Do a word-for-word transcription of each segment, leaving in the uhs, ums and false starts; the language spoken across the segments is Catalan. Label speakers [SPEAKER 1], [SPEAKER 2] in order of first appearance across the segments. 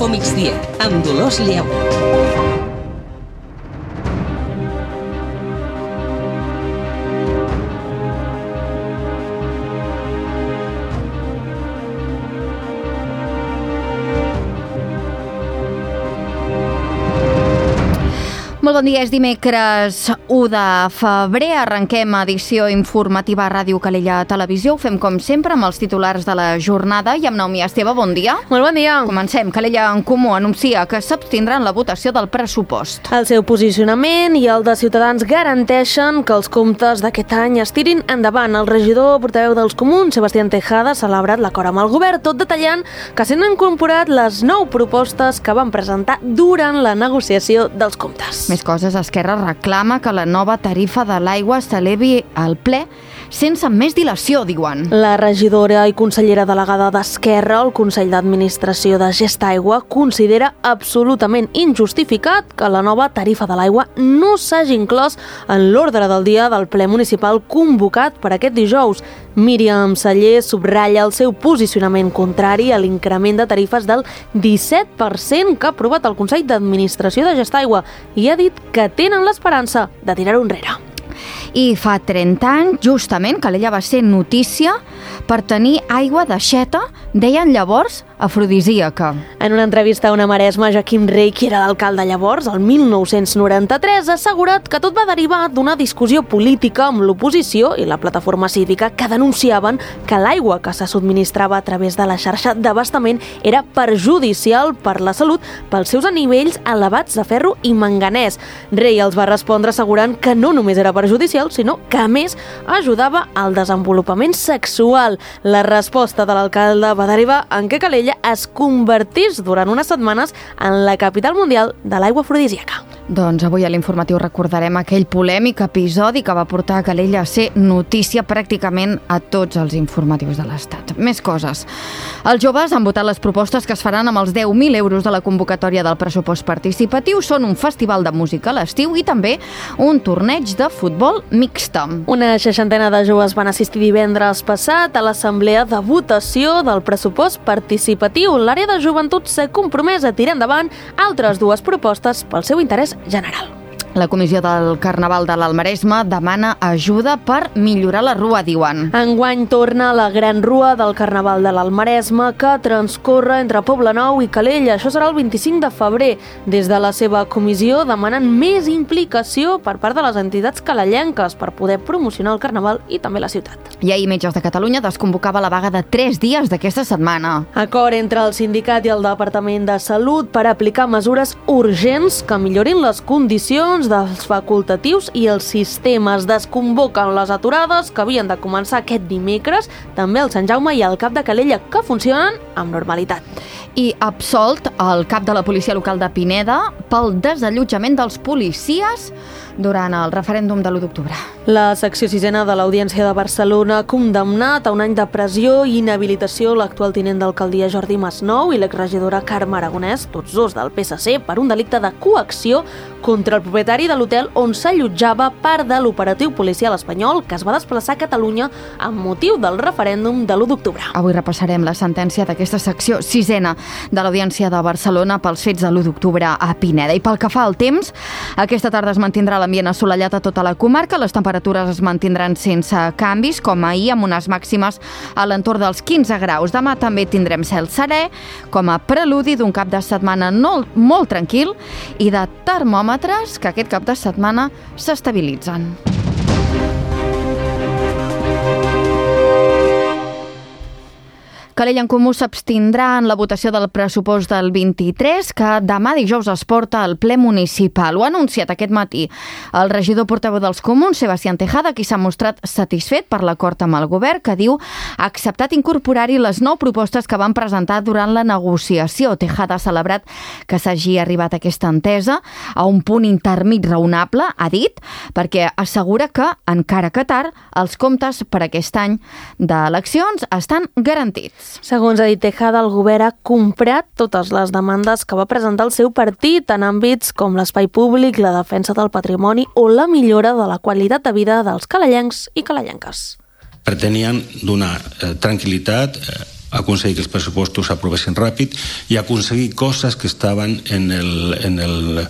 [SPEAKER 1] Info Migdia, amb Dolors Lleu.
[SPEAKER 2] Molt bon dia, és dimecres u de febrer, arrenquem edició informativa a Ràdio Calella Televisió. Ho fem com sempre amb els titulars de la jornada i amb Naomi Esteve, bon dia.
[SPEAKER 3] Molt bon dia.
[SPEAKER 2] Comencem. Calella en Comú anuncia que s'abstindrà en la votació del pressupost.
[SPEAKER 3] El seu posicionament i el de Ciutadans garanteixen que els comptes d'aquest any es tirin endavant. El regidor portaveu dels Comuns, Sebastián Tejada, ha celebrat l'acord amb el govern, tot detallant que s'han incorporat les nou propostes que van presentar durant la negociació dels comptes.
[SPEAKER 2] Més coses, Esquerra reclama que la nova tarifa de l'aigua s'elevi al ple sense més dilació, diuen.
[SPEAKER 3] La regidora i consellera delegada d'Esquerra al Consell d'Administració de Gestaigua considera absolutament injustificat que la nova tarifa de l'aigua no s'hagi inclòs en l'ordre del dia del ple municipal convocat per aquest dijous. Míriam Celler subratlla el seu posicionament contrari a l'increment de tarifes del disset per cent que ha aprovat el Consell d'Administració de Gestaigua i ha dit que tenen l'esperança de tirar-ho enrere.
[SPEAKER 2] I fa trenta anys, justament, Calella va ser notícia per tenir aigua d'aixeta, deien llavors afrodisíaca.
[SPEAKER 3] En una entrevista a una Maresma, Joaquim Rey, qui era l'alcalde llavors, el mil nou-cents noranta-tres, ha assegurat que tot va derivar d'una discussió política amb l'oposició i la plataforma cívica que denunciaven que l'aigua que se subministrava a través de la xarxa d'abastament era perjudicial per la salut pels seus nivells elevats de ferro i manganès. Rey els va respondre assegurant que no només era perjudicial, sinó que a més ajudava al desenvolupament sexual. La resposta de l'alcalde va derivar en que Calella es convertís durant unes setmanes en la capital mundial de l'aigua afrodisíaca.
[SPEAKER 2] Doncs avui a l'informatiu recordarem aquell polèmic episodi que va portar a Calella a ser notícia pràcticament a tots els informatius de l'Estat. Més coses. Els joves han votat les propostes que es faran amb els deu mil euros de la convocatòria del pressupost participatiu. Són un festival de música a l'estiu i també un torneig de futbol mixta.
[SPEAKER 3] Una seixantena de joves van assistir divendres passat a l'assemblea de votació del pressupost participatiu. L'àrea de joventut s'ha compromès a tirar endavant altres dues propostes pel seu interès general.
[SPEAKER 2] La Comissió del Carnaval de l'Almaresme demana ajuda per millorar la rua, diuen.
[SPEAKER 3] Enguany torna la Gran Rua del Carnaval de l'Almaresme que transcorre entre Poblenou i Calella. Això serà el vint-i-cinc de febrer. Des de la seva comissió demanen més implicació per part de les entitats calellenques per poder promocionar el Carnaval i també la ciutat.
[SPEAKER 2] I ahir Metges de Catalunya desconvocava la vaga de tres dies d'aquesta setmana.
[SPEAKER 3] Acord entre el sindicat i el Departament de Salut per aplicar mesures urgents que millorin les condicions dels facultatius i els sistemes. Desconvoquen les aturades que havien de començar aquest dimecres, també el Sant Jaume i el Cap de Calella, que funcionen amb normalitat.
[SPEAKER 2] I absolt el cap de la policia local de Pineda pel desallotjament dels policies durant el referèndum de l'u d'octubre.
[SPEAKER 3] La secció sisena de l'Audiència de Barcelona ha condemnat a un any de pressió i inhabilitació l'actual tinent d'alcaldia Jordi Masnou i l'exregidora Carme Aragonès, tots dos del P S C, per un delicte de coacció contra el propietari de l'hotel on s'allotjava part de l'operatiu policial espanyol que es va desplaçar a Catalunya amb motiu del referèndum de l'u d'octubre.
[SPEAKER 2] Avui repassarem la sentència d'aquesta secció sisena de l'Audiència de Barcelona pels fets de l'u d'octubre a Pineda. I pel que fa al temps, aquesta tarda es mantindrà l'ambient assolellat a tota la comarca, les temperatures es mantindran sense canvis, com ahir, amb unes màximes a l'entorn dels quinze graus. Demà també tindrem cel serè, com a preludi d'un cap de setmana no, molt tranquil i de termòmetres que aquest cap de setmana s'estabilitzen. Calella en Comú s'abstindrà en la votació del pressupost del vint-i-tres, que demà dijous es porta al ple municipal. Ho ha anunciat aquest matí el regidor portaveu dels Comuns, Sebastián Tejada, qui s'ha mostrat satisfet per l'acord amb el govern, que diu ha acceptat incorporar-hi les nou propostes que van presentar durant la negociació. Tejada ha celebrat que s'hagi arribat a aquesta entesa a un punt intermig raonable, ha dit, perquè assegura que, encara que tard, els comptes per aquest any d'eleccions estan garantits.
[SPEAKER 3] Segons ha dit Tejada, el govern ha comprat totes les demandes que va presentar el seu partit en àmbits com l'espai públic, la defensa del patrimoni o la millora de la qualitat de vida dels calellencs i calellenques.
[SPEAKER 4] Pretenien donar eh, tranquil·litat eh, aconseguir que els pressupostos s'aprovessin ràpid i aconseguir coses que estaven en el, en el,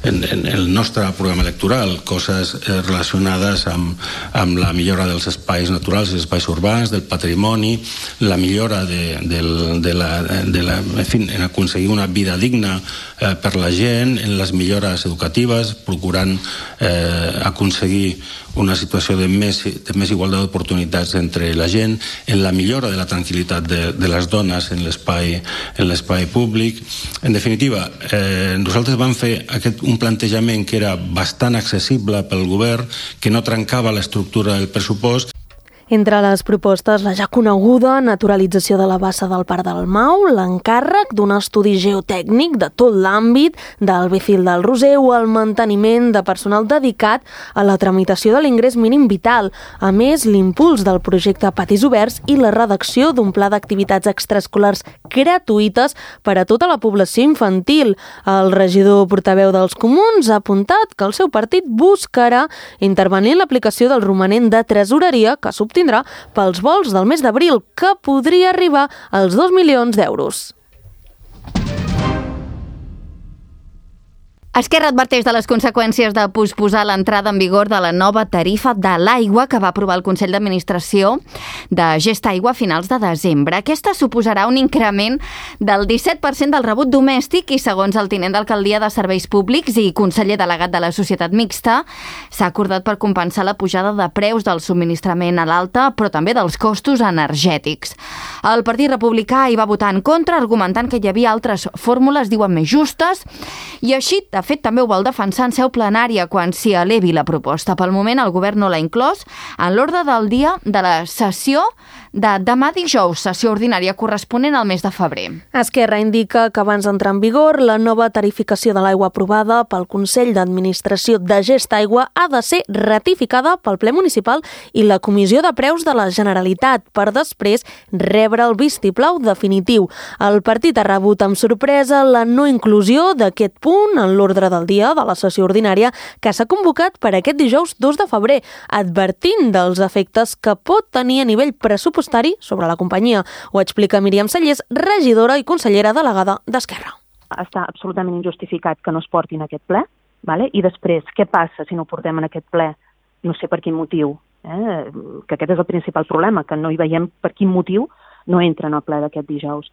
[SPEAKER 4] en, en el nostre programa electoral, coses eh, relacionades amb, amb la millora dels espais naturals, dels espais urbans, del patrimoni, la millora de, de, de la, de la, en fi, en aconseguir una vida digna eh, per la gent, en les millores educatives, procurant eh, aconseguir una situació de més, de més igualtat d'oportunitats entre la gent, en la millora de la tranquil·litat de, de les dones en l'espai en l'espai públic. En definitiva, eh, nosaltres vam fer aquest, un plantejament que era bastant accessible pel govern, que no trencava l'estructura del pressupost.
[SPEAKER 3] Entre les propostes, la ja coneguda naturalització de la bassa del Parc del Mau, l'encàrrec d'un estudi geotècnic de tot l'àmbit del Bécil del Roser o el manteniment de personal dedicat a la tramitació de l'ingrés mínim vital. A més, l'impuls del projecte Patis Oberts i la redacció d'un pla d'activitats extraescolars gratuïtes per a tota la població infantil. El regidor portaveu dels Comuns ha apuntat que el seu partit buscarà intervenir en l'aplicació del romanent de tresoreria que s'obtindrà pels vols del mes d'abril, que podria arribar als dos milions d'euros.
[SPEAKER 2] Esquerra adverteix de les conseqüències de posposar l'entrada en vigor de la nova tarifa de l'aigua que va aprovar el Consell d'Administració de Gest Aigua a finals de desembre. Aquesta suposarà un increment del disset per cent del rebut domèstic i, segons el tinent d'alcaldia de Serveis Públics i conseller delegat de la Societat Mixta, s'ha acordat per compensar la pujada de preus del subministrament a l'alta, però també dels costos energètics. El Partit Republicà hi va votar en contra, argumentant que hi havia altres fórmules, diuen, més justes, i així, de fet, també ho vol defensar en seu plenària quan s'hi elevi la proposta. Pel moment, el govern no l'ha inclòs en l'ordre del dia de la sessió de demà dijous, sessió ordinària corresponent al mes de febrer.
[SPEAKER 3] Esquerra indica que abans d'entrar en vigor, la nova tarificació de l'aigua aprovada pel Consell d'Administració de Gest Aigua ha de ser ratificada pel ple municipal i la Comissió de Preus de la Generalitat per després rebre el vistiplau definitiu. El partit ha rebut amb sorpresa la no inclusió d'aquest punt en l'ordre del dia de la sessió ordinària que s'ha convocat per aquest dijous dos de febrer, advertint dels efectes que pot tenir a nivell pressupostari sobre la companyia. Ho explica Míriam Cellers, regidora i consellera delegada d'Esquerra.
[SPEAKER 5] Està absolutament injustificat que no es portin a aquest ple, vale? I després, què passa si no ho portem en aquest ple? No sé per quin motiu, eh? Que aquest és el principal problema, que no hi veiem per quin motiu no entra en el ple d'aquest dijous.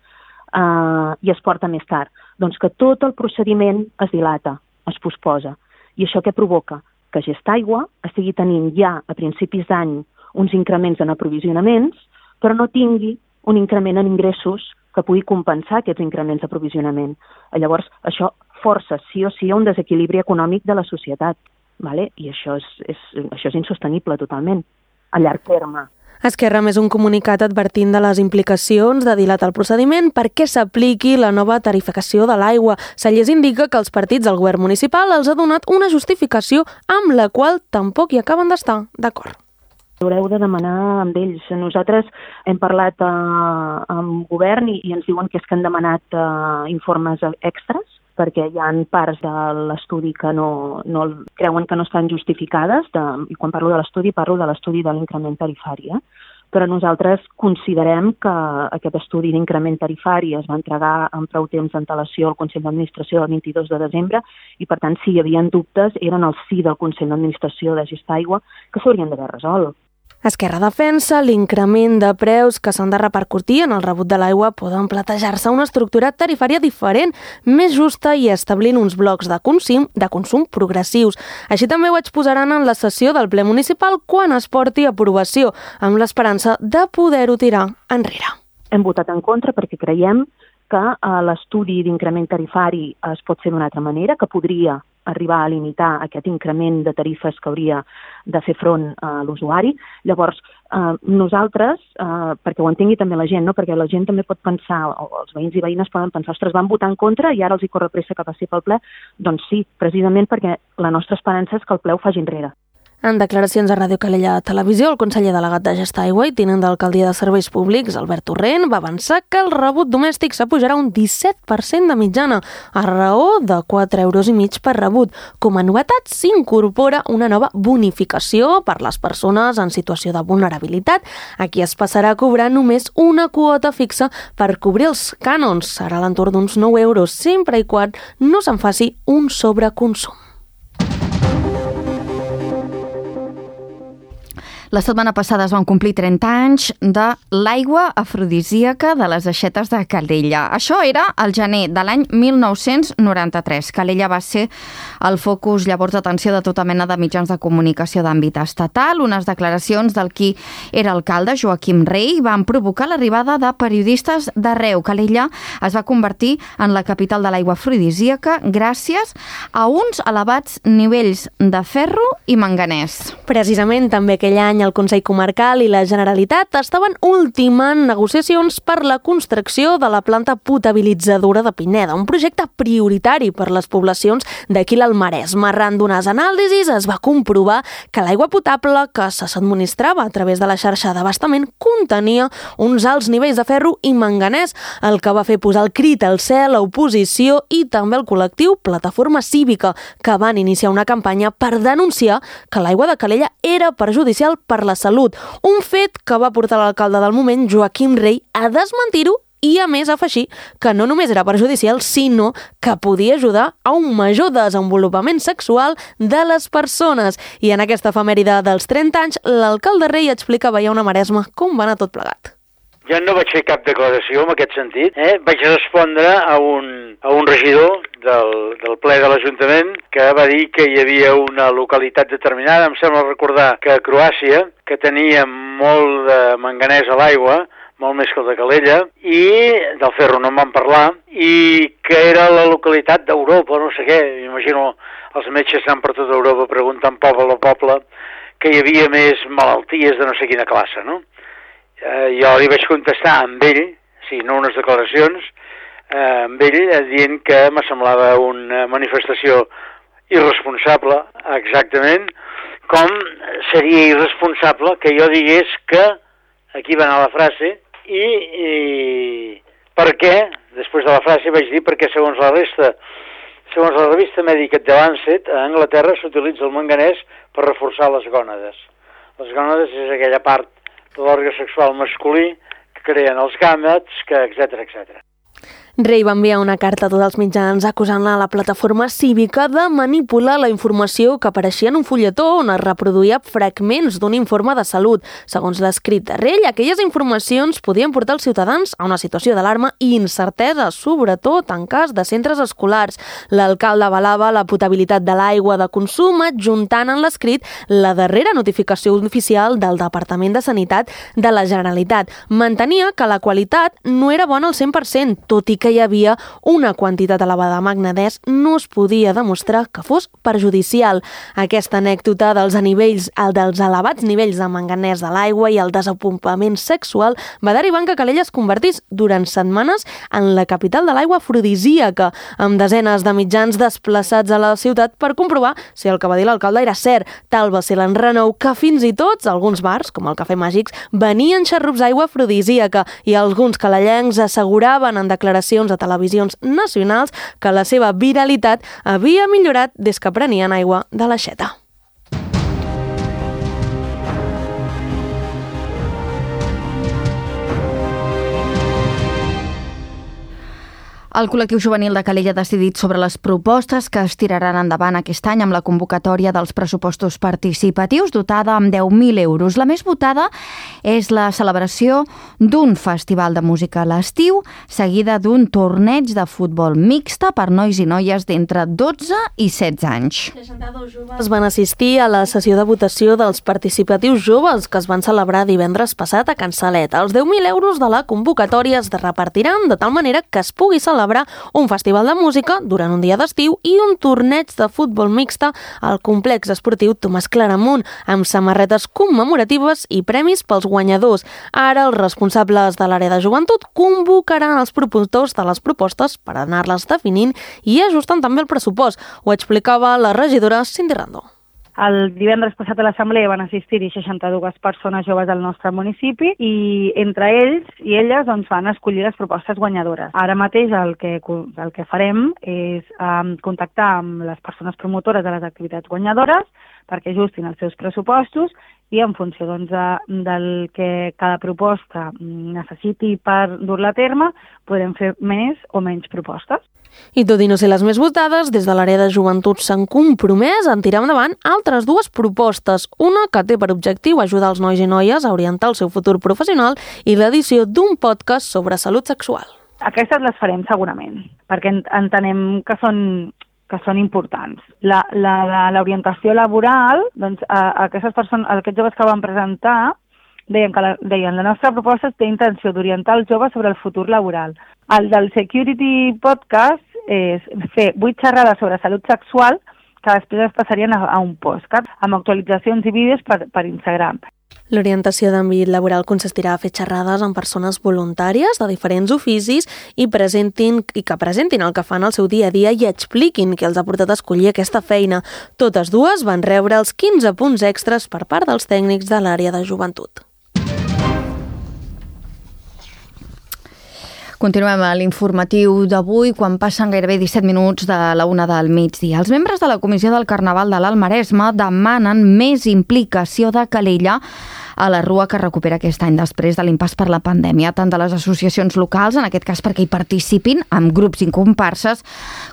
[SPEAKER 5] Uh, i es porta més tard. Doncs que tot el procediment es dilata, es posposa. I això què provoca? Que Gest Aigua estigui tenint ja a principis d'any uns increments en aprovisionaments, però no tingui un increment en ingressos que pugui compensar aquests increments d'aprovisionament. Llavors, això força sí o sí a un desequilibri econòmic de la societat, vale? I això és, és, això és insostenible totalment, a llarg terme.
[SPEAKER 3] Esquerra més un comunicat advertint de les implicacions de dilatar el procediment perquè s'apliqui la nova tarificació de l'aigua. Cellers indica que els partits del govern municipal els ha donat una justificació amb la qual tampoc hi acaben d'estar d'acord.
[SPEAKER 5] Haureu de demanar amb ells. Nosaltres hem parlat eh, amb govern i, i ens diuen que és que han demanat eh, informes extras perquè hi ha parts de l'estudi que no, no creuen que no estan justificades, de, i quan parlo de l'estudi parlo de l'estudi de l'increment tarifari, eh? Però nosaltres considerem que aquest estudi d'increment tarifari es va entregar amb prou temps d'antelació al Consell d'Administració el vint-i-dos de desembre i, per tant, si hi havia dubtes, eren el sí del Consell d'Administració de Gest Aigua que s'haurien d'haver resolt.
[SPEAKER 3] Esquerra defensa l'increment de preus que s'han de repercutir en el rebut de l'aigua poden plantejar-se una estructura tarifària diferent, més justa i establint uns blocs de consum, de consum progressius. Així també ho exposaran en la sessió del ple municipal quan es porti a aprovació, amb l'esperança de poder-ho tirar enrere.
[SPEAKER 5] Hem votat en contra perquè creiem que l'estudi d'increment tarifari es pot fer d'una altra manera, que podria arribar a limitar aquest increment de tarifes que hauria de fer front a l'usuari. Llavors, eh, nosaltres, eh, perquè ho entengui també la gent, no? Perquè la gent també pot pensar, o els veïns i veïnes poden pensar, ostres, van votar en contra i ara els hi corre pressa que passi pel ple. Doncs sí, precisament perquè la nostra esperança és que el ple ho faci enrere.
[SPEAKER 3] En declaracions a Ràdio Calella Televisió, el conseller delegat de Gestió Aigua i tinent d'alcaldia de Serveis Públics, Albert Torrent, va avançar que el rebut domèstic s'apujarà un disset per cent de mitjana, a raó de quatre euros i mig per rebut. Com a novetat, s'incorpora una nova bonificació per les persones en situació de vulnerabilitat. Aquí es passarà a cobrar només una quota fixa per cobrir els cànons. Serà a l'entorn d'uns nou euros, sempre i quan no se'n faci un sobreconsum.
[SPEAKER 2] La setmana passada es van complir trenta anys de l'aigua afrodisíaca de les aixetes de Calella. Això era el gener de l'any mil nou-cents noranta-tres. Calella va ser el focus llavors d'atenció de tota mena de mitjans de comunicació d'àmbit estatal. Unes declaracions del qui era alcalde, Joaquim Rey, van provocar l'arribada de periodistes d'arreu. Calella es va convertir en la capital de l'aigua afrodisíaca gràcies a uns elevats nivells de ferro i manganès.
[SPEAKER 3] Precisament també aquell any el Consell Comarcal i la Generalitat estaven ultimant negociacions per la construcció de la planta potabilitzadora de Pineda, un projecte prioritari per les poblacions d'aquí l'Alt Maresme. Arran d'unes anàlisis es va comprovar que l'aigua potable que se s'administrava a través de la xarxa d'abastament contenia uns alts nivells de ferro i manganès, el que va fer posar el crit al cel a oposició i també el col·lectiu Plataforma Cívica, que van iniciar una campanya per denunciar que l'aigua de Calella era perjudicial per la salut, un fet que va portar l'alcalde del moment, Joaquim Rey, a desmentir-ho i, a més, afegir que no només era perjudicial, sinó que podia ajudar a un major desenvolupament sexual de les persones. I en aquesta efemèride dels trenta anys, l'alcalde Rey explicava ja una Maresme com va anar tot plegat.
[SPEAKER 6] Jo no vaig fer cap declaració en aquest sentit. Eh? Vaig respondre a un, a un regidor del, del ple de l'Ajuntament que va dir que hi havia una localitat determinada, em sembla recordar que a Croàcia, que tenia molt de manganès a l'aigua, molt més que el de Calella, i del ferro no en van parlar, i que era la localitat d'Europa, no sé què, m'imagino els metges anant per tota Europa preguntant poble a poble que hi havia més malalties de no sé quina classe, no? Eh, jo li vaig contestar amb ell, sí, no unes declaracions, eh, amb ell eh, dient que me semblava una manifestació irresponsable, exactament, com seria irresponsable que jo digués que, aquí va anar la frase, i, i per què, després de la frase vaig dir perquè segons la resta, segons la revista mèdica The Lancet, a Anglaterra s'utilitza el manganès per reforçar les gònades. Les gònades és aquella part de l'òrgan sexual masculí que creen els gàmets, que etcètera, etcètera.
[SPEAKER 3] Rey va enviar una carta a tots els mitjans acusant-la a la Plataforma Cívica de manipular la informació que apareixia en un fulletó on es reproduïa fragments d'un informe de salut. Segons l'escrit de Rey, aquelles informacions podien portar els ciutadans a una situació d'alarma i incertesa, sobretot en cas de centres escolars. L'alcalde avalava la potabilitat de l'aigua de consum, adjuntant en l'escrit la darrera notificació oficial del Departament de Sanitat de la Generalitat. Mantenia que la qualitat no era bona al cent per cent, tot i que hi havia una quantitat elevada de manganès, no es podia demostrar que fos perjudicial. Aquesta anècdota dels nivells, el dels elevats nivells de manganès de l'aigua i el desenvolupament sexual va derivar en que Calella es convertís durant setmanes en la capital de l'aigua afrodisíaca, amb desenes de mitjans desplaçats a la ciutat per comprovar si el que va dir l'alcalde era cert. Tal va ser l'enrenou que fins i tot alguns bars, com el Cafè Màgics, venien xarrups d'aigua afrodisíaca i alguns calellencs asseguraven en declaracions a televisions nacionals que la seva viralitat havia millorat des que prenien aigua de l'aixeta.
[SPEAKER 2] El col·lectiu juvenil de Calella ha decidit sobre les propostes que es tiraran endavant aquest any amb la convocatòria dels pressupostos participatius dotada amb deu mil euros. La més votada és la celebració d'un festival de música a l'estiu, seguida d'un torneig de futbol mixta per nois i noies d'entre dotze i setze anys.
[SPEAKER 3] seixanta-dos joves van assistir a la sessió de votació dels participatius joves que es van celebrar divendres passat a Can Salet. Els deu mil euros de la convocatòria es repartiran de tal manera que es pugui celebrar un festival de música durant un dia d'estiu i un torneig de futbol mixta al complex esportiu Tomàs Claramunt, amb samarretes commemoratives i premis pels guanyadors. Ara els responsables de l'àrea de joventut convocaran els promotors de les propostes per anar-les definint i ajustant també el pressupost. Ho explicava la regidora Cindy Rando.
[SPEAKER 7] El divendres passat a l'assemblea van assistir-hi seixanta-dues persones joves del nostre municipi i entre ells i elles doncs, van escollir les propostes guanyadores. Ara mateix el que, el que farem és um, contactar amb les persones promotores de les activitats guanyadores perquè ajustin els seus pressupostos i en funció doncs, de, del que cada proposta necessiti per dur-la a terme, podrem fer més o menys propostes.
[SPEAKER 3] I tot i no ser les més votades, des de l'àrea de joventut s'han compromès en tirar endavant altres dues propostes. Una que té per objectiu ajudar els nois i noies a orientar el seu futur professional i l'edició d'un podcast sobre salut sexual.
[SPEAKER 7] Aquestes les farem segurament, perquè entenem que són que són importants. La, la, la, l'orientació laboral, doncs, a, a aquestes persones, a aquests joves que van presentar, deien que la, deien, la nostra proposta té intenció d'orientar els joves sobre el futur laboral. El del Security Podcast és fer vuit xerrades sobre salut sexual que després es passarien a, a un podcast amb actualitzacions i vídeos per, per Instagram.
[SPEAKER 3] L'orientació d'àmbit laboral consistirà a fer xerrades amb persones voluntàries de diferents oficis i presentin i que presentin el que fan al seu dia a dia i expliquin què els ha portat a escollir aquesta feina. Totes dues van rebre els quinze punts extras per part dels tècnics de l'àrea de joventut.
[SPEAKER 2] Continuem a l'informatiu d'avui, quan passen gairebé disset minuts de la una del migdia. Els membres de la Comissió del Carnaval de l'Alt Maresme demanen més implicació de Calella a la Rua que recupera aquest any després de l'impàs per la pandèmia, tant de les associacions locals, en aquest cas perquè hi participin amb grups i comparses,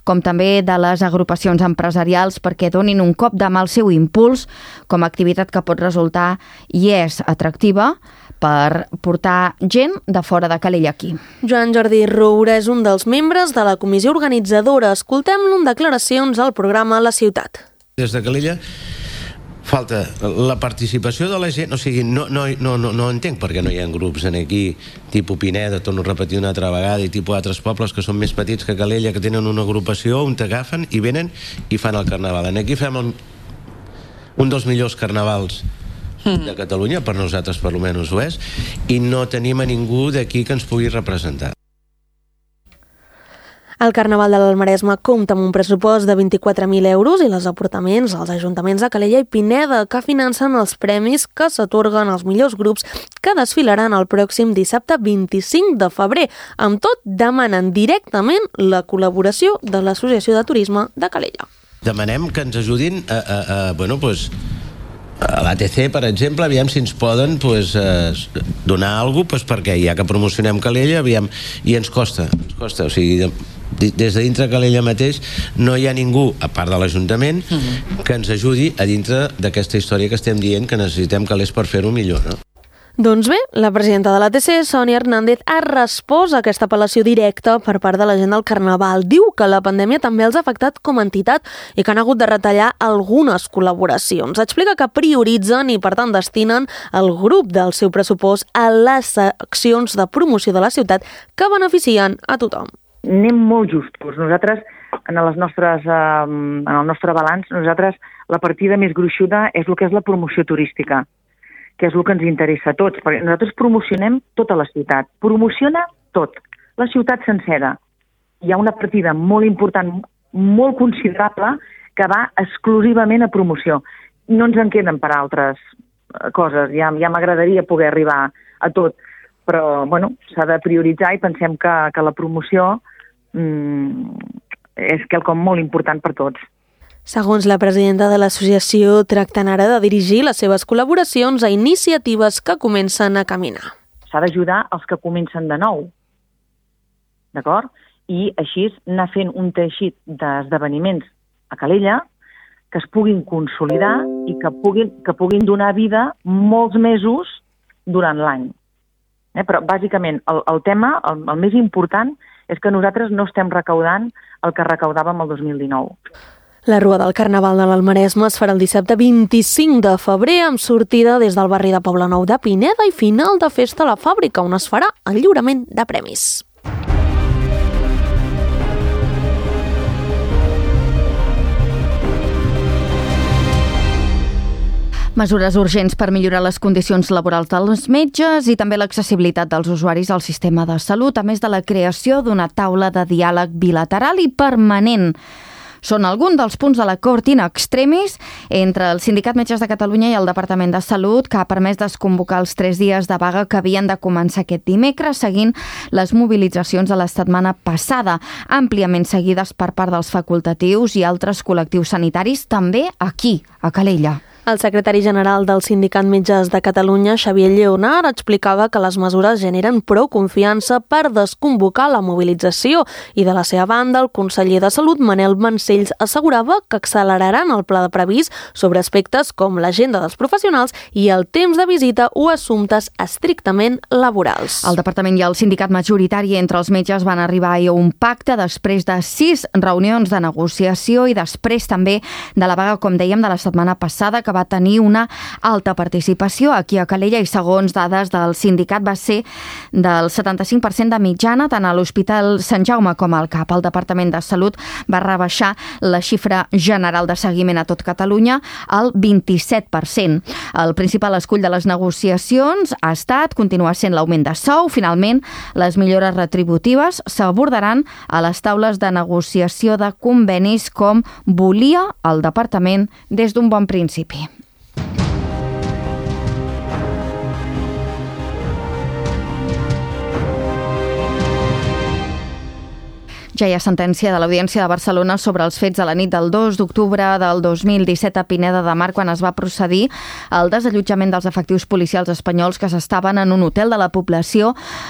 [SPEAKER 2] com també de les agrupacions empresarials perquè donin un cop de mà al seu impuls com a activitat que pot resultar i és atractiva per portar gent de fora de Calella aquí.
[SPEAKER 3] Joan Jordi Roura és un dels membres de la comissió organitzadora. Escoltem-lo en declaracions al programa La Ciutat.
[SPEAKER 8] Des de Calella falta la participació de la gent, o sigui, no, no, no, no, no entenc per què no hi ha grups en aquí, tipus Pineda, torno a repetir una altra vegada, i tipus altres pobles que són més petits que Calella, que tenen una agrupació on t'agafen i venen i fan el carnaval. En aquí fem un, un dels millors carnavals de Catalunya, per nosaltres per almenys ho és, i no tenim a ningú d'aquí que ens pugui representar.
[SPEAKER 3] El Carnaval de l'Alt Maresme compta amb un pressupost de vint-i-quatre mil euros i les aportaments als ajuntaments de Calella i Pineda que financen els premis que s'atorguen als millors grups que desfilaran el pròxim dissabte vint-i-cinc de febrer. Amb tot, demanen directament la col·laboració de l'Associació de Turisme de Calella.
[SPEAKER 8] Demanem que ens ajudin a, a, a bueno, pues, a l'A T C, per exemple, aviam si ens poden pues, eh, donar alguna cosa, pues, perquè ja que promocionem Calella, aviam, i ens costa, ens costa, o sigui, de, des de dintre Calella mateix no hi ha ningú, a part de l'Ajuntament, uh-huh. que ens ajudi a dintre d'aquesta història que estem dient que necessitem calés per fer-ho millor, no?
[SPEAKER 3] Doncs bé, la presidenta de l'A T C, Sònia Hernández, ha respost a aquesta apel·lació directa per part de la gent del Carnaval. Diu que la pandèmia també els ha afectat com a entitat i que han hagut de retallar algunes col·laboracions. Explica que prioritzen i, per tant, destinen el grup del seu pressupost a les accions de promoció de la ciutat que beneficien a tothom.
[SPEAKER 9] Anem molt justos. Nosaltres, en, les nostres, eh, en el nostre balanç, nosaltres la partida més gruixuda és el que és la promoció turística, que és el que ens interessa a tots, perquè nosaltres promocionem tota la ciutat, promociona tot, la ciutat sencera. Hi ha una partida molt important, molt considerable, que va exclusivament a promoció. No ens en queden per altres coses, ja, ja m'agradaria poder arribar a tot, però bueno, s'ha de prioritzar i pensem que, que la promoció mmm, és quelcom molt important per tots.
[SPEAKER 3] Segons la presidenta de l'associació, tracten ara de dirigir les seves col·laboracions a iniciatives que comencen a caminar.
[SPEAKER 9] S'ha d'ajudar els que comencen de nou, d'acord? I així anar fent un teixit d'esdeveniments a Calella que es puguin consolidar i que puguin, que puguin donar vida molts mesos durant l'any. Eh? Però bàsicament el, el tema, el, el més important, és que nosaltres no estem recaudant el que recaudàvem el dos mil dinou.
[SPEAKER 3] La Rua del Carnaval de l'Alt Maresme es farà el dissabte vint-i-cinc de febrer amb sortida des del barri de Poblenou de Pineda i final de festa a la fàbrica, on es farà el lliurament de premis.
[SPEAKER 2] Mesures urgents per millorar les condicions laborals dels metges i també l'accessibilitat dels usuaris al sistema de salut, a més de la creació d'una taula de diàleg bilateral i permanent són alguns dels punts de l'acord in extremis entre el Sindicat Metges de Catalunya i el Departament de Salut, que ha permès desconvocar els tres dies de vaga que havien de començar aquest dimecres, seguint les mobilitzacions de la setmana passada, àmpliament seguides per part dels facultatius i altres col·lectius sanitaris, també aquí, a Calella.
[SPEAKER 3] El secretari general del Sindicat Metges de Catalunya, Xavier Lleonart, explicava que les mesures generen prou confiança per desconvocar la mobilització i, de la seva banda, el conseller de Salut, Manel Vancells, assegurava que acceleraran el pla de previst sobre aspectes com l'agenda dels professionals i el temps de visita o assumptes estrictament laborals.
[SPEAKER 2] El departament i el sindicat majoritari entre els metges van arribar a un pacte després de sis reunions de negociació i després també de la vaga, com dèiem, de la setmana passada, que va tenir una alta participació aquí a Calella i, segons dades del sindicat, va ser del setanta-cinc per cent de mitjana tant a l'Hospital Sant Jaume com al C A P. El Departament de Salut va rebaixar la xifra general de seguiment a tot Catalunya al vint-i-set per cent. El principal escull de les negociacions ha estat, continua sent l'augment de sou. Finalment, les millores retributives s'abordaran a les taules de negociació de convenis, com volia el Departament des d'un bon principi. Ja hi ha sentència de l'Audiència de Barcelona sobre els fets de la nit del dos d'octubre del dos mil disset a Pineda de Mar, quan es va procedir al desallotjament dels efectius policials espanyols que s'estaven en un hotel de la població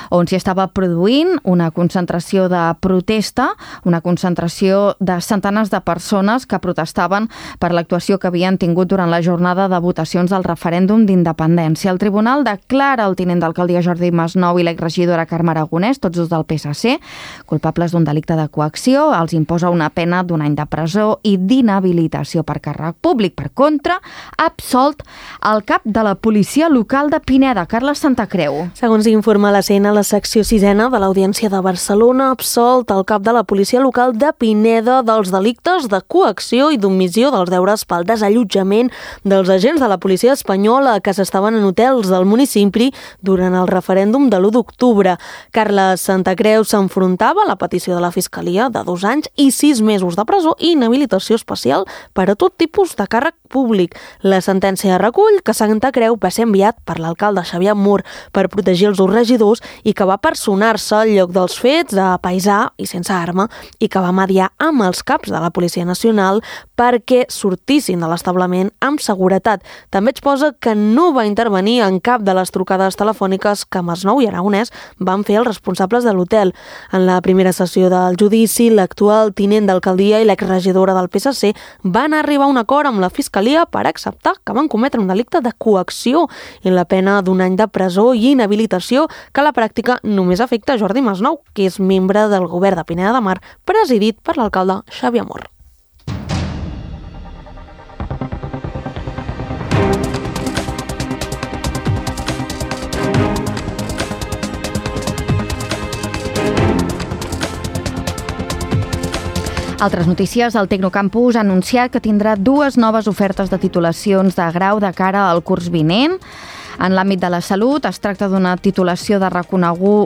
[SPEAKER 2] on s'hi estava produint una concentració de protesta, una concentració de centenars de persones que protestaven per l'actuació que havien tingut durant la jornada de votacions del referèndum d'independència. El tribunal declara el tinent d'alcaldia Jordi Masnou i l'exregidora Carme Aragonès, tots dos del P S C, culpables d'un delicte de coacció, els imposa una pena d'un any de presó i d'inhabilitació per càrrec públic. Per contra, ha absolt el cap de la policia local de Pineda, Carles Santacreu.
[SPEAKER 3] Segons informa la C N, la secció sisena de l'Audiència de Barcelona ha absolt el cap de la policia local de Pineda dels delictes de coacció i d'omissió dels deures pel desallotjament dels agents de la policia espanyola que s'estaven en hotels del municipi durant el referèndum de l'u d'octubre. Carles Santacreu s'enfrontava a la petició de la Fiscalia de dos anys i sis mesos de presó i inhabilitació especial per a tot tipus de càrrec públic. La sentència recull que Santacreu va ser enviat per l'alcalde Xavier Mur per protegir els seus regidors i que va personar-se al lloc dels fets a paisà i sense arma i que va mediar amb els caps de la Policia Nacional perquè sortissin de l'establiment amb seguretat. També exposa que no va intervenir en cap de les trucades telefòniques que Masnou i Aragonès van fer els responsables de l'hotel. En la primera sessió del judici, l'actual tinent d'alcaldia i l'exregidora del P S C van arribar a un acord amb la Fiscalia per acceptar que van cometre un delicte de coacció i la pena d'un any de presó i inhabilitació, que a la pràctica només afecta a Jordi Masnou, que és membre del govern de Pineda de Mar, presidit per l'alcalde Xavier Mur.
[SPEAKER 2] Altres notícies, el Tecnocampus ha anunciat que tindrà dues noves ofertes de titulacions de grau de cara al curs vinent. En l'àmbit de la salut es tracta d'una titulació de,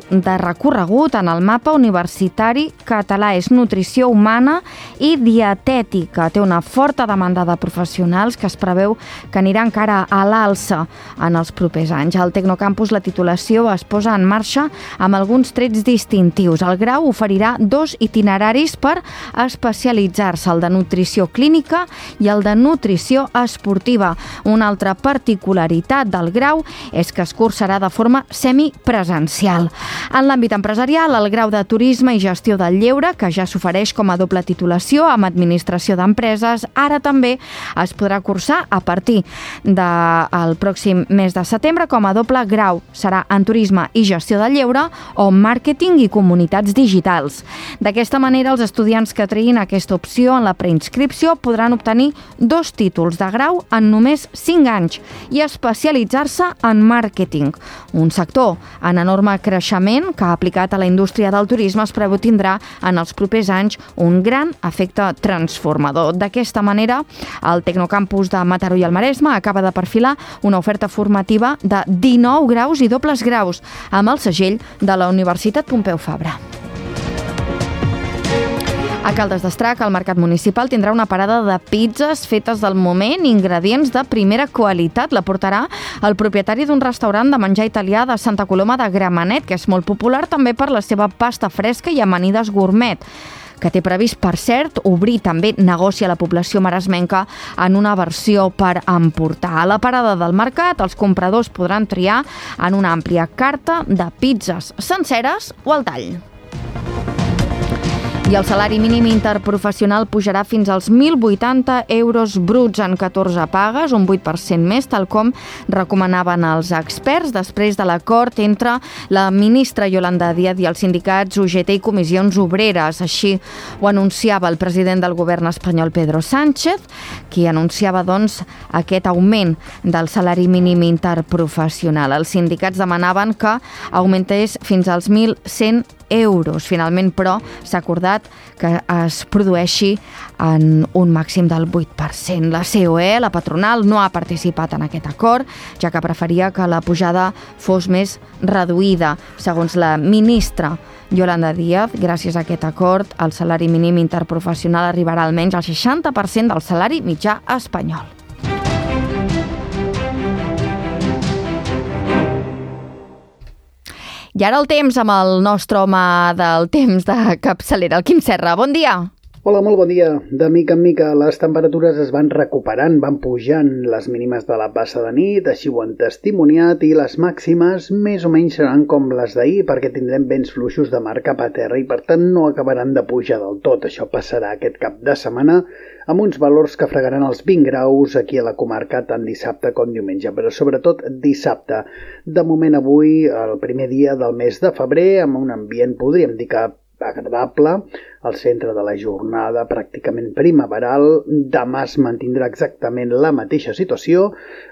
[SPEAKER 2] de recorregut en el mapa universitari català. És nutrició humana i dietètica. Té una forta demanda de professionals que es preveu que anirà encara a l'alça en els propers anys. Al Tecnocampus la titulació es posa en marxa amb alguns trets distintius. El grau oferirà dos itineraris per especialitzar-se, el de nutrició clínica i el de nutrició esportiva. Una altra particularitat del grau és que es cursarà de forma semipresencial. En l'àmbit empresarial, el grau de turisme i gestió del lleure, que ja s'ofereix com a doble titulació amb administració d'empreses, ara també es podrà cursar a partir del pròxim mes de setembre com a doble grau. Serà en turisme i gestió del lleure o màrqueting i comunitats digitals. D'aquesta manera, els estudiants que triïn aquesta opció en la preinscripció podran obtenir dos títols de grau en només cinc anys i especialitzar-se en màrqueting, un sector en enorme creixement que, aplicat a la indústria del turisme, es preveu tindrà en els propers anys un gran efecte transformador. D'aquesta manera, el Tecnocampus de Mataró i el Maresme acaba de perfilar una oferta formativa de dinou graus i dobles graus amb el segell de la Universitat Pompeu Fabra. A Caldes d'Estrac, el mercat municipal tindrà una parada de pizzas fetes del moment, ingredients de primera qualitat. La portarà el propietari d'un restaurant de menjar italià de Santa Coloma de Gramenet, que és molt popular també per la seva pasta fresca i amanides gourmet, que té previst, per cert, obrir també negoci a la població maresmenca en una versió per emportar. A la parada del mercat, els compradors podran triar en una àmplia carta de pizzas senceres o al tall. I el salari mínim interprofessional pujarà fins als mil vuitanta euros bruts en catorze pagues, un vuit per cent més, tal com recomanaven els experts, després de l'acord entre la ministra Yolanda Díaz i els sindicats U G T i comissions obreres. Així ho anunciava el president del govern espanyol, Pedro Sánchez, qui anunciava doncs, aquest augment del salari mínim interprofessional. Els sindicats demanaven que augmentés fins als mil cent euros. Finalment, però, s'ha acordat que es produeixi en un màxim del vuit per cent. La C O E, la patronal, no ha participat en aquest acord, ja que preferia que la pujada fos més reduïda. Segons la ministra Yolanda Díaz, gràcies a aquest acord, el salari mínim interprofessional arribarà almenys al seixanta per cent del salari mitjà espanyol. I ara el temps amb el nostre home del temps de capçalera, el Quim Serra. Bon dia!
[SPEAKER 10] Hola, molt bon dia. De mica en mica les temperatures es van recuperant, van pujant les mínimes de la passa de nit, així ho han testimoniat, i les màximes més o menys seran com les d'ahir, perquè tindrem vents fluixos de mar cap a terra i per tant no acabaran de pujar del tot. Això passarà aquest cap de setmana amb uns valors que fregaran els vint graus aquí a la comarca tant dissabte com diumenge, però sobretot dissabte. De moment avui, el primer dia del mes de febrer, amb un ambient, podríem dir que agradable, al centre de la jornada pràcticament primaveral. Demà es mantindrà exactament la mateixa situació,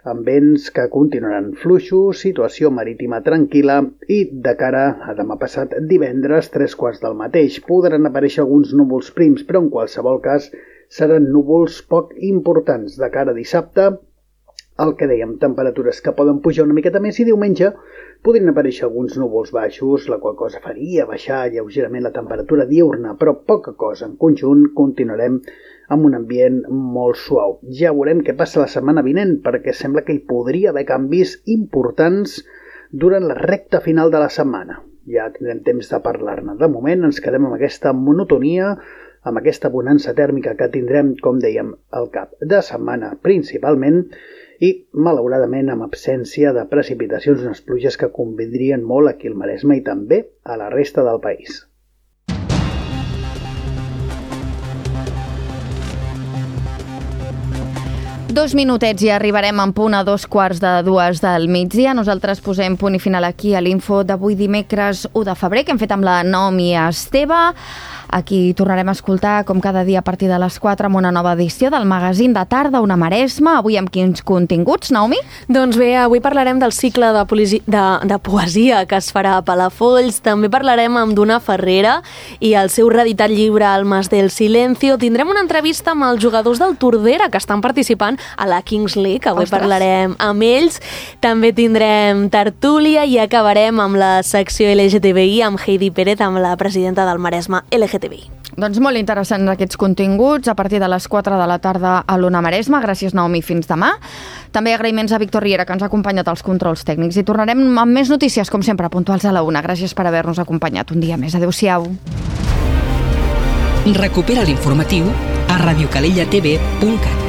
[SPEAKER 10] amb vents que continuaran fluixos, situació marítima tranquil·la i de cara a demà passat divendres, tres quarts del mateix. Podran aparèixer alguns núvols prims, però en qualsevol cas seran núvols poc importants. De cara a dissabte, el que dèiem, temperatures que poden pujar una miqueta més, i diumenge podrien aparèixer alguns núvols baixos, la qual cosa faria baixar lleugerament la temperatura diurna, però poca cosa. En conjunt continuarem amb un ambient molt suau. Ja veurem què passa la setmana vinent, perquè sembla que hi podria haver canvis importants durant la recta final de la setmana. Ja tindrem temps de parlar-ne. De moment ens quedem amb aquesta monotonia, amb aquesta bonança tèrmica que tindrem, com dèiem, al cap de setmana principalment, i, malauradament, amb absència de precipitacions, unes pluges que convindrien molt aquí al Maresme i també a la resta del país.
[SPEAKER 2] Dos minutets i arribarem en punt a dos quarts de dues del migdia. Nosaltres posem punt i final aquí a l'info d'avui dimecres u de febrer, que hem fet amb la Naomi Esteve. Aquí tornarem a escoltar, com cada dia a partir de les quatre, amb una nova edició del magazín de tarda, Una Maresma. Avui amb quins continguts, Naomi?
[SPEAKER 3] Doncs bé, avui parlarem del cicle de, polisi... de, de poesia que es farà a Palafolls. També parlarem amb Duna Ferrera i el seu reeditat llibre Almas del Silencio. Tindrem una entrevista amb els jugadors del Tordera que estan participant a la Kings League. Avui Ostres. Parlarem amb ells. També tindrem tertúlia i acabarem amb la secció L G T B I amb Heidi Pérez, amb la presidenta del Maresme L G T B I.
[SPEAKER 2] Doncs molt interessants aquests continguts a partir de les quatre de la tarda a l'Ona Maresma. Gràcies, Naomi, fins demà. També agraïments a Víctor Riera, que ens ha acompanyat als controls tècnics, i tornarem amb més notícies, com sempre, puntuals a la una. Gràcies per haver-nos acompanyat un dia més. Adéu-siau.
[SPEAKER 1] Recupera l'informatiu a radiocalellatv punt cat.